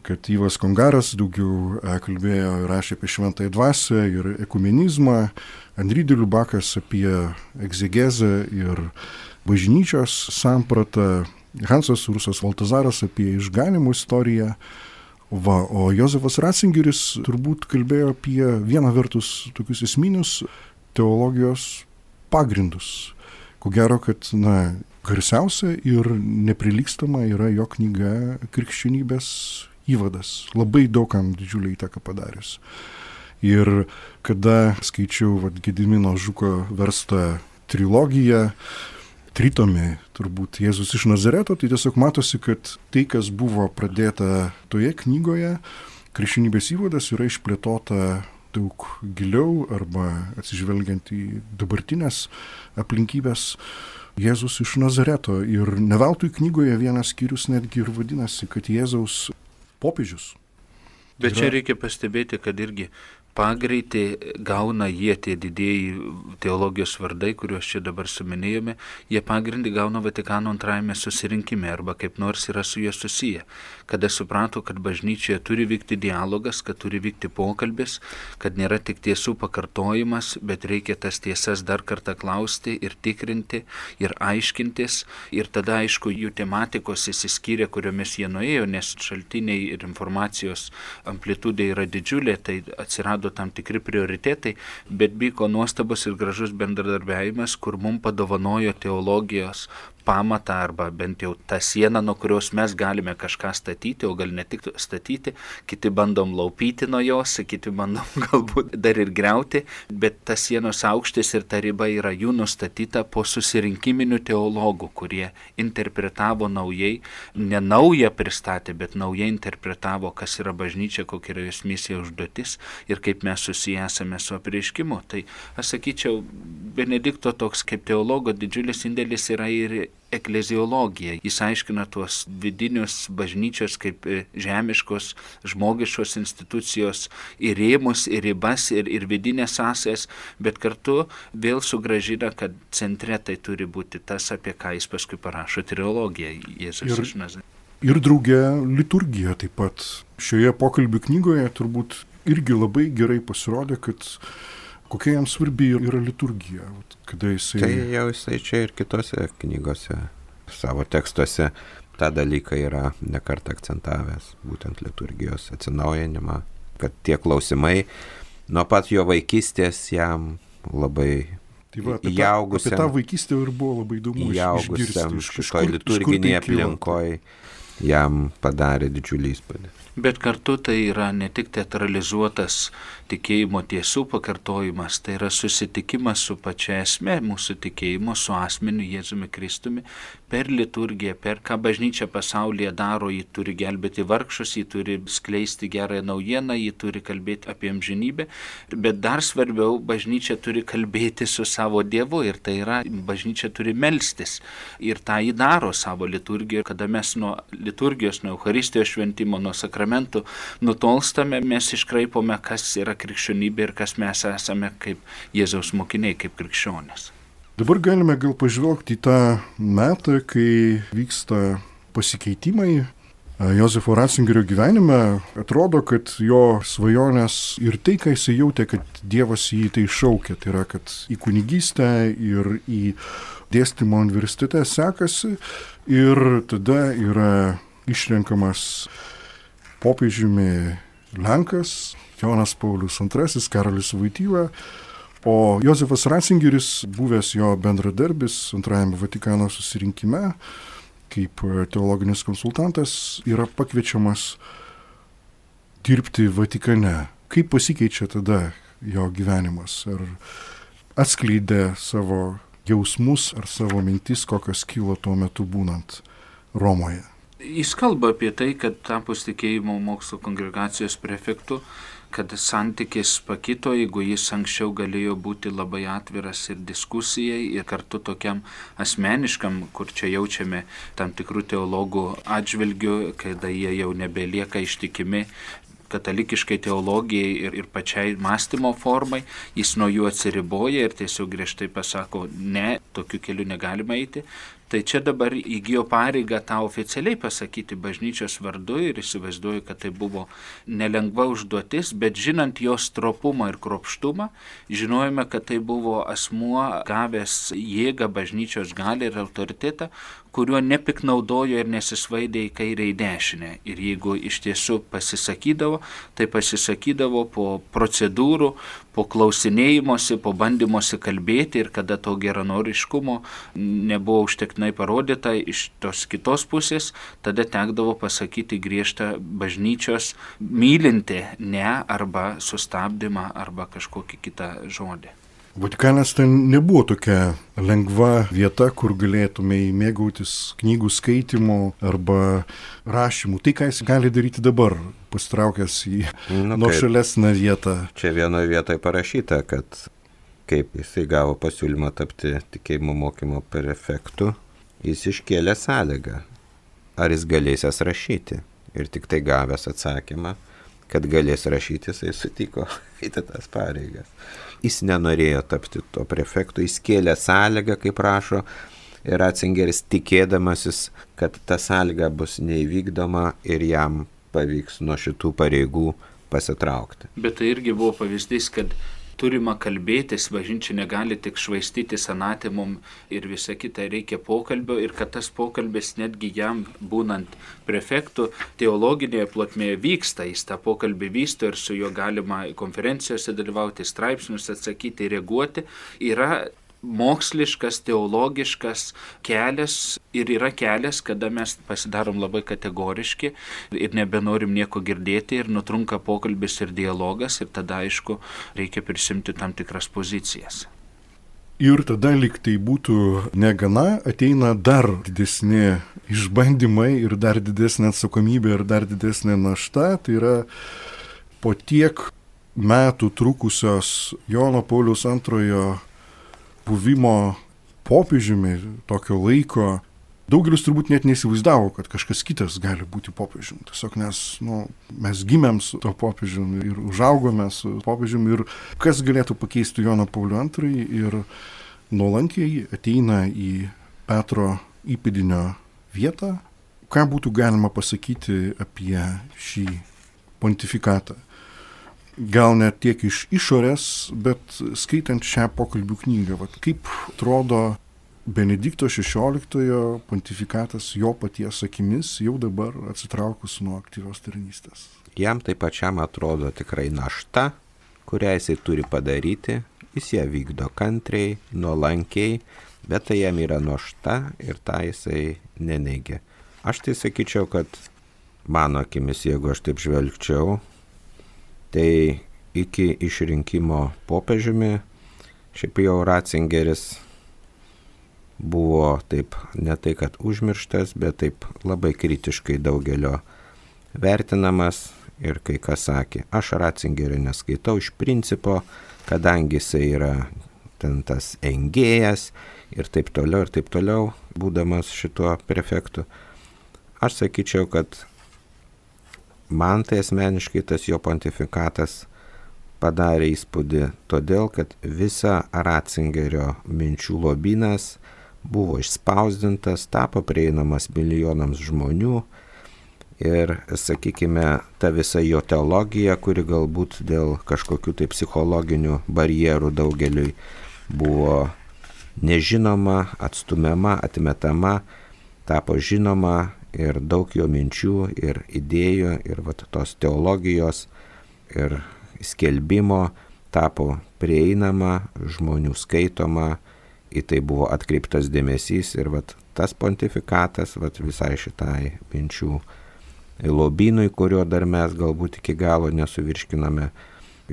Kad Yvas Kongaras daugiau kalbėjo ir rašė apie šventąją dvasią ir ekumenizmą, Henri de Lubakas apie egzegezę ir bažnyčios sampratą, Hansas Ursas Baltazaras apie išganimų istoriją, va, o Jozefas Ratzingeris turbūt kalbėjo apie vieną vertus tokius esminius teologijos pagrindus. Ko gero, kad, na, garsiausia ir neprilygstama yra jo knyga Krikščionybės įvadas. Labai daugam didžiulį įtaką padaręs. Ir kada skaičiau vat, Gedimino Žuko verstą trilogiją, tritomį, turbūt Jėzus iš Nazareto, tai tiesiog matosi, kad tai, kas buvo pradėta toje knygoje, Krikščionybės įvadas, yra išplėtota daug giliau arba atsižvelgiant į dabartinės aplinkybės. Jėzus iš Nazareto. Ir ne veltui knygoje vienas skyrius netgi ir vadinasi, kad Jėzaus popiežius. Bet yra... čia reikia pastebėti, kad irgi pagreitį gauna jie tie didieji teologijos vardai, kuriuos čia dabar suminėjome, jie pagrindį gauna Vatikano antrajame susirinkime arba kaip nors yra su jie susiję. Kada suprato, kad bažnyčioje turi vykti dialogas, kad turi vykti pokalbis, kad nėra tik tiesų pakartojimas, bet reikia tas tiesas dar kartą klausti ir tikrinti ir aiškintis. Ir tada, aišku, jų tematikos įsiskyrė, kuriomis jie nuėjo, nes šaltiniai ir informacijos amplitudė yra didžiulė, tai atsirado tam tikri prioritetai, bet vyko nuostabus ir gražus bendradarbiavimas, kur mums padovanojo teologijos pamatą arba bent jau tą sieną, nuo kurios mes galime kažką statyti, o gal ne tik statyti, kiti bandom laupyti nuo jos, kiti bandom galbūt dar ir griauti, bet tas sienos aukštis ir ta riba yra jų nustatyta po susirinkiminių teologų, kurie interpretavo naujai, ne naują pristatė, bet naujai interpretavo, kas yra bažnyčia, kokia yra jos misija užduotis ir kaip mes susiję esame su apreiškimu. Tai aš sakyčiau, Benedikto toks kaip teologo didžiulis indėlis yra ir ekleziologija. Jis aiškina tuos vidinius bažnyčios kaip žemiškos, žmogiškos institucijos ir rėmus, ir ribas, ir, ir vidinės sąsajas, bet kartu vėl sugrąžina, kad centre tai turi būti tas, apie ką jis paskui parašo trilogiją Jėzus iš Nazareto. Ir drauge liturgija taip pat. Šioje pokalbių knygoje turbūt irgi labai gerai pasirodė, kad kokia jam svarbi yra liturgija. Kada jisai... Tai jau jisai čia ir kitose knygose, savo tekstuose tą dalyką yra nekartą akcentavęs, būtent liturgijos atsinaujinimą, kad tie klausimai nuo pat jo vaikystės jam labai tai va, apie įaugusiam. Apie tą vaikystę ir buvo labai įdomu įaugusiam išgirsti. šitoj liturginėje aplinkoje jam padarė didžiulį įspūdį. Bet kartu tai yra ne tik teatralizuotas tikėjimo tiesų pakartojimas, tai yra susitikimas su pačia esme mūsų tikėjimo, su asmeniu Jėzumi Kristumi, per liturgiją, per ką bažnyčia pasaulyje daro, ji turi gelbėti vargšus, ji turi skleisti gerąją naujieną, ji turi kalbėti apie amžinybę, bet dar svarbiau, bažnyčia turi kalbėti su savo Dievu ir tai yra, bažnyčia turi melstis ir tą jį daro savo liturgijoje, kada mes nuo liturgijos, nuo Eucharistijos šventimo, nuo sakramentų nutolstame, mes iškraipome, kas yra krikščionybė ir kas mes esame kaip Jėzaus mokiniai, kaip krikščionys. Dabar galime gal pažvelgti į tą metą, kai vyksta pasikeitimai Jozefo Ratzingerio gyvenime. Atrodo, kad jo svajonės ir tai, ką jis jautė, kad Dievas jį tai šaukė, tai yra, kad į kunigystę ir į dėstymo universitete sekasi ir tada yra išrenkamas popiežiumi Lenkas, Jonas Paulius antrasis, Karolis Voityla, o Jozefas Ratzingeris, buvęs jo bendradarbis antrajame Vatikano susirinkime, kaip teologinis konsultantas, yra pakviečiamas dirbti Vatikane. Kaip pasikeičia tada jo gyvenimas? Ar atskleidė savo jausmus ar savo mintis, kokios kilo tuo metu būnant Romoje? Jis kalba apie tai, kad tapus tikėjimo mokslo kongregacijos prefektu, kad santykis pakito, jeigu jis anksčiau galėjo būti labai atviras ir diskusijai ir kartu tokiam asmeniškam, kur čia jaučiame tam tikrų teologų atžvilgių, kada jie jau nebelieka ištikimi katalikiškai teologijai ir, ir pačiai mąstymo formai, jis nuo jų atsiriboja ir tiesiog griežtai pasako, ne, tokiu keliu negalima eiti. Tai čia dabar įgijo pareigą tą oficialiai pasakyti bažnyčios vardu ir įsivaizduoju, kad tai buvo nelengva užduotis, bet žinant jos tropumą ir kruopštumą, žinojome, kad tai buvo asmuo gavęs jėgą, bažnyčios galią ir autoritetą, kuriuo nepiknaudojo ir nesisvaidė į kairę į dešinę. Ir jeigu iš tiesų pasisakydavo, tai pasisakydavo po procedūrų, po klausinėjimuose, po bandymuose kalbėti ir kada to geranoriškumo nebuvo užtektinai parodyta iš tos kitos pusės, tada tekdavo pasakyti griežtą bažnyčios mylinti ne arba sustabdymą arba kažkokį kitą žodį. Vatikanas ten nebuvo tokia lengva vieta, kur galėtume mėgautis knygų skaitimu arba rašymu. Tai, ką jis gali daryti dabar, pastraukęs į nu, nuošalesnę vietą. Čia vienoje vietoje parašyta, kad kaip jisai gavo pasiūlymą tapti tikėjimo mokymo prefektu, jis iškėlė sąlygą, ar jis galėsės rašyti. Ir tik tai gavęs atsakymą, kad galės rašyti, jisai sutiko eiti tas pareigas. Jis nenorėjo tapti to prefektu, jis kėlė sąlygą, kaip rašo Ratzingeris, tikėdamasis, kad ta sąlyga bus neįvykdoma ir jam pavyks nuo šitų pareigų pasitraukti. Bet tai irgi buvo pavyzdys, kad turima kalbėtis, bažnyčia negali tik švaistyti anatemom ir visa kita, reikia pokalbio ir kad tas pokalbis netgi jam būnant prefektu teologinėje plotmėje vyksta, jis tą pokalbį vysto ir su juo galima konferencijose dalyvauti, straipsnius atsakyti, reaguoti, yra moksliškas, teologiškas kelias ir yra kelias, kada mes pasidarom labai kategoriški ir nebenorim nieko girdėti ir nutrunka pokalbis ir dialogas ir tada, aišku, reikia prisimti tam tikras pozicijas. Ir tada, lyg tai būtų negana, ateina dar didesni išbandymai ir dar didesnė atsakomybė ir dar didesnė našta. Tai yra po tiek metų trukusios Jono Pauliaus antrojo buvimo popiežiumi tokio laiko, daugelis turbūt net neįsivaizdavo, kad kažkas kitas gali būti popiežiumi. Tiesiog nes nu, mes gimėm su to popiežiumi ir užaugome su popiežiumi ir kas galėtų pakeisti Joną Paulių antrąjį ir nuolankiai ateina į Petro įpėdinio vietą. Ką būtų galima pasakyti apie šį pontifikatą? Gal net tiek iš išorės, bet skaitant šią pokalbių knygą, vat, kaip atrodo Benedikto šešioliktojo pontifikatas jo paties akimis jau dabar atsitraukus nuo aktyvios tarnystės. Jam tai pačiam atrodo tikrai našta, kurią jisai turi padaryti, jis ją vykdo kantriai, nuolankiai, bet tai jam yra našta ir tą jisai neneigia. Aš tai sakyčiau, kad mano akimis, jeigu aš taip žvelgčiau, tai iki išrinkimo popiežiumi šiaip jau Ratzingeris buvo taip, ne tai kad užmirštas, bet taip labai kritiškai daugelio vertinamas ir kai kas sakė, aš Ratzingerio neskaitau iš principo, kadangi jisai yra ten tas engėjas ir taip toliau ir taip toliau, būdamas šituo prefektu. aš sakyčiau, kad man tai asmeniškai tas jo pontifikatas padarė įspūdį, todėl, kad visa Ratzingerio minčių lobynas buvo išspausdintas, tapo prieinamas milijonams žmonių ir, sakykime, ta visa jo teologija, kuri galbūt dėl kažkokių tai psichologinių barjerų daugeliui buvo nežinoma, atstumiama, atmetama, tapo žinoma ir daug jo minčių ir idėjų ir vat, tos teologijos ir skelbimo tapo prieinama, žmonių skaitoma, į tai buvo atkreiptas dėmesys ir vat, tas pontifikatas vat, visai šitai minčių lobynui, kurio dar mes galbūt iki galo nesuvirškiname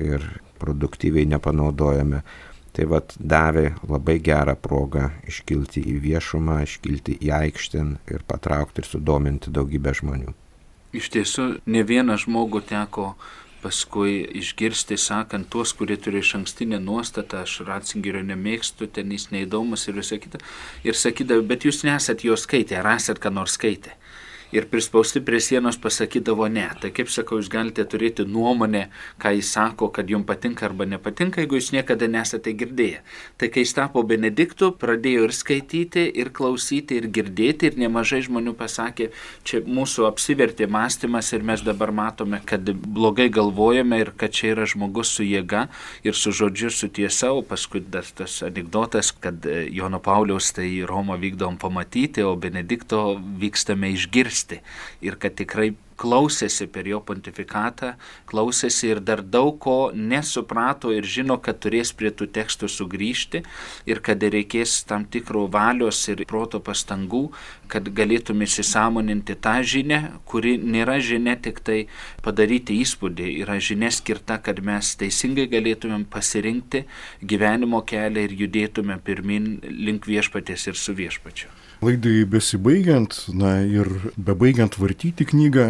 ir produktyviai nepanaudojame, tai vat, davė labai gerą progą iškilti į viešumą, iškilti į aikštę ir patraukti ir sudominti daugybę žmonių. Iš tiesų, ne vieną žmogų teko paskui išgirsti, sakant, tuos, kurie turi iš ankstinę nuostatą, aš Ratzingerio nemėgstu, ten jis neįdomus ir visą kitą. Ir sakydavo, bet jūs nesat jo skaitę, ar esat ką nors skaitę. Ir prispausti prie sienos pasakydavo ne. Tai kaip sakau, jūs galite turėti nuomonę, ką jis sako, kad jums patinka arba nepatinka, jeigu jūs niekada nesate girdėję. Tai kai jis tapo Benediktu, pradėjo ir skaityti, ir klausyti, ir girdėti, ir nemažai žmonių pasakė, čia mūsų apsivertė mąstymas ir mes dabar matome, kad blogai galvojame ir kad čia yra žmogus su jėga ir su žodžiu, su tiesa, o paskui dar tas anekdotas, kad Jono Pauliaus tai į Romą vykdom pamatyti, o Benedikto vykstame išgirsti. Ir kad tikrai klausėsi per jo pontifikatą, klausėsi ir dar daug ko nesuprato ir žino, kad turės prie tų tekstų sugrįžti ir kad reikės tam tikro valios ir proto pastangų, kad galėtume įsisąmoninti tą žinią, kuri nėra žinia tik tai padaryti įspūdį, yra žinia skirta, kad mes teisingai galėtumėm pasirinkti gyvenimo kelią ir judėtume pirmin link viešpaties ir su viešpačiu. Laidai besibaigiant, na ir bebaigiant vartyti knygą,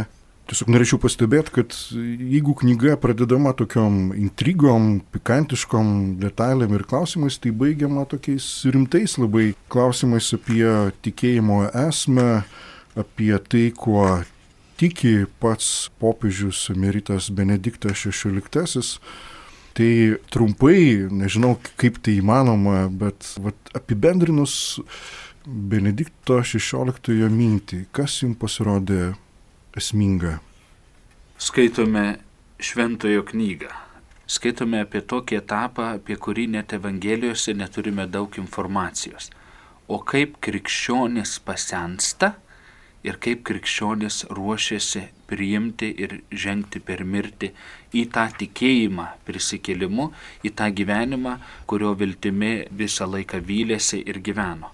tiesiog norėčiau pastebėti, kad jeigu knyga pradedama tokiom intrigom, pikantiškom detalėm ir klausimais, tai baigiama tokiais rimtais labai klausimais apie tikėjimo esmę, apie tai, kuo tiki pats popiežius emeritas Benediktas šešioliktasis. Tai trumpai, nežinau kaip tai įmanoma, bet vat, apibendrinus Benedikto šešioliktojo mintį, kas jums pasirodė esminga? Skaitome šventojo knygą. Skaitome apie tokį etapą, apie kurį net Evangelijose neturime daug informacijos. O kaip krikščionis pasensta ir kaip krikščionis ruošiasi priimti ir žengti per mirtį į tą tikėjimą prisikėlimu, į tą gyvenimą, kurio viltimi visą laiką vylėsi ir gyveno.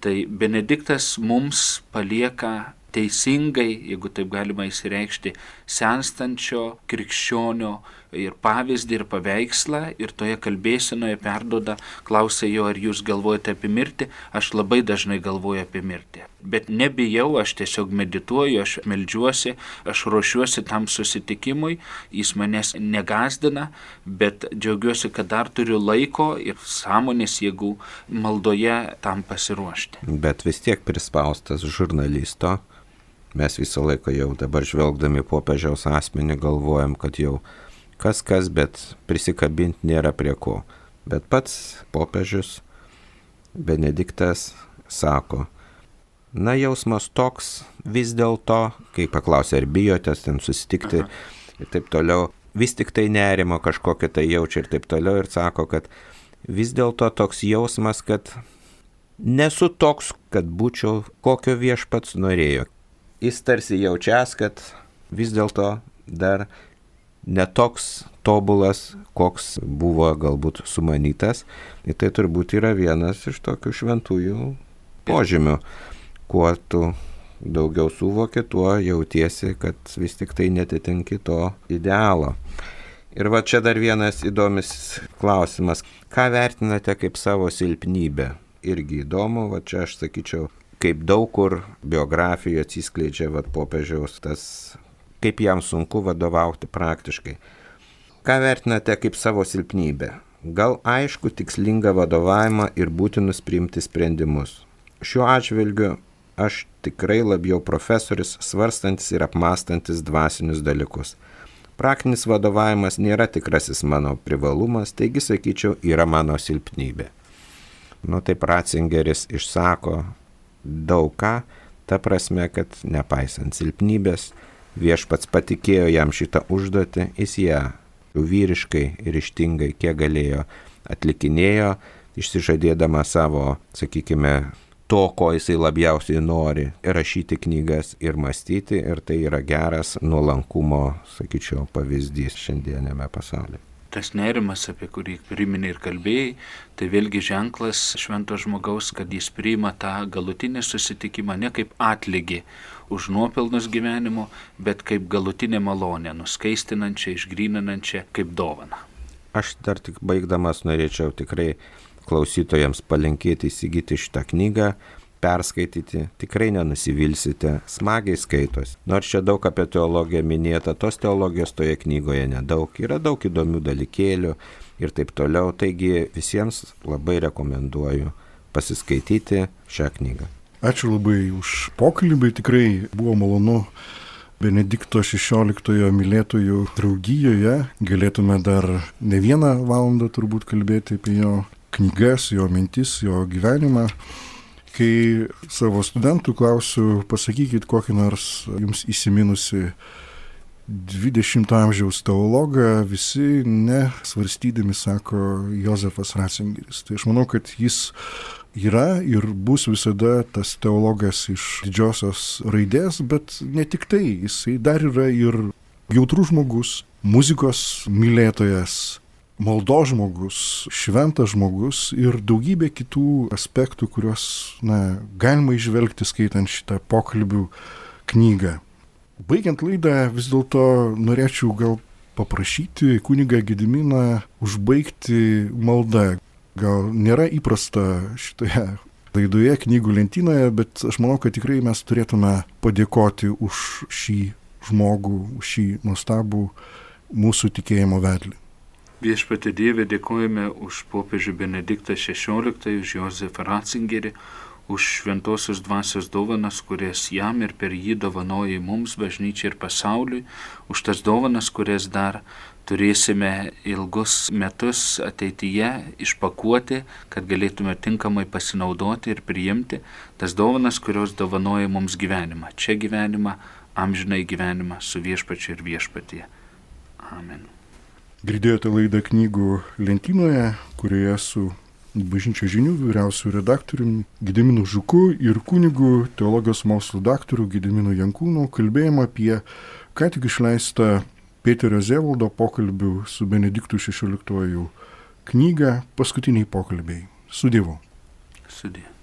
Tai Benediktas mums palieka teisingai, jeigu taip galima įsireikšti, senstančio krikščionio ir pavyzdį ir paveikslą ir toje kalbėsenoje perduoda, klausia jo, ar jūs galvojate apie mirtį, aš labai dažnai galvoju apie mirtį. Bet nebijau, aš tiesiog medituoju, aš meldžiuosi, aš ruošiuosi tam susitikimui, jis manęs negazdina, bet džiaugiuosi, kad dar turiu laiko ir sąmonės jėgų maldoje tam pasiruošti. Bet vis tiek prispaustas žurnalisto, mes visą laiką jau dabar žvelgdami popiežiaus asmenį galvojam, kad jau kas kas, bet prisikabinti nėra prie ko. Bet pats popiežius Benediktas sako, na jausmas toks vis dėlto, kai paklausė, ar bijotės ten susitikti Aha. ir taip toliau, vis tik tai nerimo kažkokią tai jaučia ir taip toliau ir sako, kad vis dėlto toks jausmas, kad nesu toks, kad būčiau kokio viešpats norėjo. Jis tarsi jaučias, kad vis dėlto dar netoks tobulas, koks buvo galbūt sumanytas. Ir tai turbūt yra vienas iš tokių šventųjų požymių. Kuo tu daugiau suvoki, tuo jautiesi, kad vis tik tai netitinki to idealo. Ir va čia dar vienas įdomus klausimas. Ką vertinate kaip savo silpnybę? Irgi įdomu, va čia aš sakyčiau, kaip daug kur biografijoje atsiskleidžia vat, popiežiaus tas, kaip jam sunku vadovauti praktiškai. Ką vertinate kaip savo silpnybę? Gal aišku tikslingą vadovavimą ir būtinus priimti sprendimus. Šiuo atžvilgiu aš tikrai labiau profesorius, svarstantis ir apmastantis dvasinius dalykus. Praktinis vadovavimas nėra tikrasis mano privalumas, taigi, sakyčiau, yra mano silpnybė. Nu, taip Ratzingeris išsako daug ką, ta prasme, kad nepaisant silpnybės, viešpats patikėjo jam šitą užduotį, jis ją vyriškai ir ryžtingai, kiek galėjo, atlikinėjo, išsižadėdama savo, sakykime, to, ko jisai labiausiai nori, rašyti knygas ir mąstyti, ir tai yra geras nuolankumo, sakyčiau, pavyzdys šiandienėme pasaulyje. Tas nerimas, apie kurį priminė ir kalbėjai, tai vėlgi ženklas švento žmogaus, kad jis priima tą galutinį susitikimą ne kaip atlygį už nuopelnus gyvenimo, bet kaip galutinę malonę, nuskaistinančią, išgryninančią, kaip dovaną. Aš dar tik baigdamas norėčiau tikrai klausytojams palinkėti įsigyti šitą knygą, perskaityti, tikrai nenusivilsite, smagiai skaitos. Nors čia daug apie teologiją minėta, tos teologijos toje knygoje nedaug, yra daug įdomių dalykėlių ir taip toliau, taigi visiems labai rekomenduoju pasiskaityti šią knygą. Ačiū labai už pokalbį, tikrai buvo malonu Benedikto šešioliktojo mylėtojų draugijoje, galėtume dar ne vieną valandą turbūt kalbėti apie jo knygas, jo mintis, jo gyvenimą. Kai savo studentų klausiu, pasakykit kokį nors jums įsiminusi dvidešimto amžiaus teologą, visi nesvarstydami sako Jozefas Ratzingeris. Tai aš manau, kad jis yra ir bus visada tas teologas iš didžiosios raidės, bet ne tik tai, jisai dar yra ir jautrus žmogus, muzikos mylėtojas, maldos žmogus, šventas žmogus ir daugybė kitų aspektų, kuriuos na, galima įžvelgti skaitant šitą pokalbių knygą. Baigiant laidą vis dėlto norėčiau gal paprašyti kunigą Gediminą užbaigti maldą. Gal nėra įprasta šitoje laidoje knygų lentynoje, bet aš manau, kad tikrai mes turėtume padėkoti už šį žmogų, už šį nuostabų mūsų tikėjimo vedlį. Viešpatie Dieve, dėkojame už popiežių Benediktą šešioliktąjį, už Jozefą Ratzingerį, už šventosios dvasios dovanas, kurias jam ir per jį dovanoja mums, bažnyčiai ir pasauliui, už tas dovanas, kurias dar turėsime ilgus metus ateityje išpakuoti, kad galėtume tinkamai pasinaudoti ir priimti tas dovanas, kurios dovanoja mums gyvenimą. Čia gyvenimą, amžinai gyvenimą su viešpačiu ir viešpatie. Amen. Girdėjote laidą knygų lentynoje, kurioje su Bažnyčios žinių vyriausiu redaktoriumi Gediminu Žuku ir kunigu teologijos mokslų daktaru Gediminu Jankūnu kalbėjome apie ką tik išleistą Pėterio Zevaldo pokalbių su Benediktu šešioliktuoju knygą Paskutiniai pokalbiai. Su Dievu. Sudie.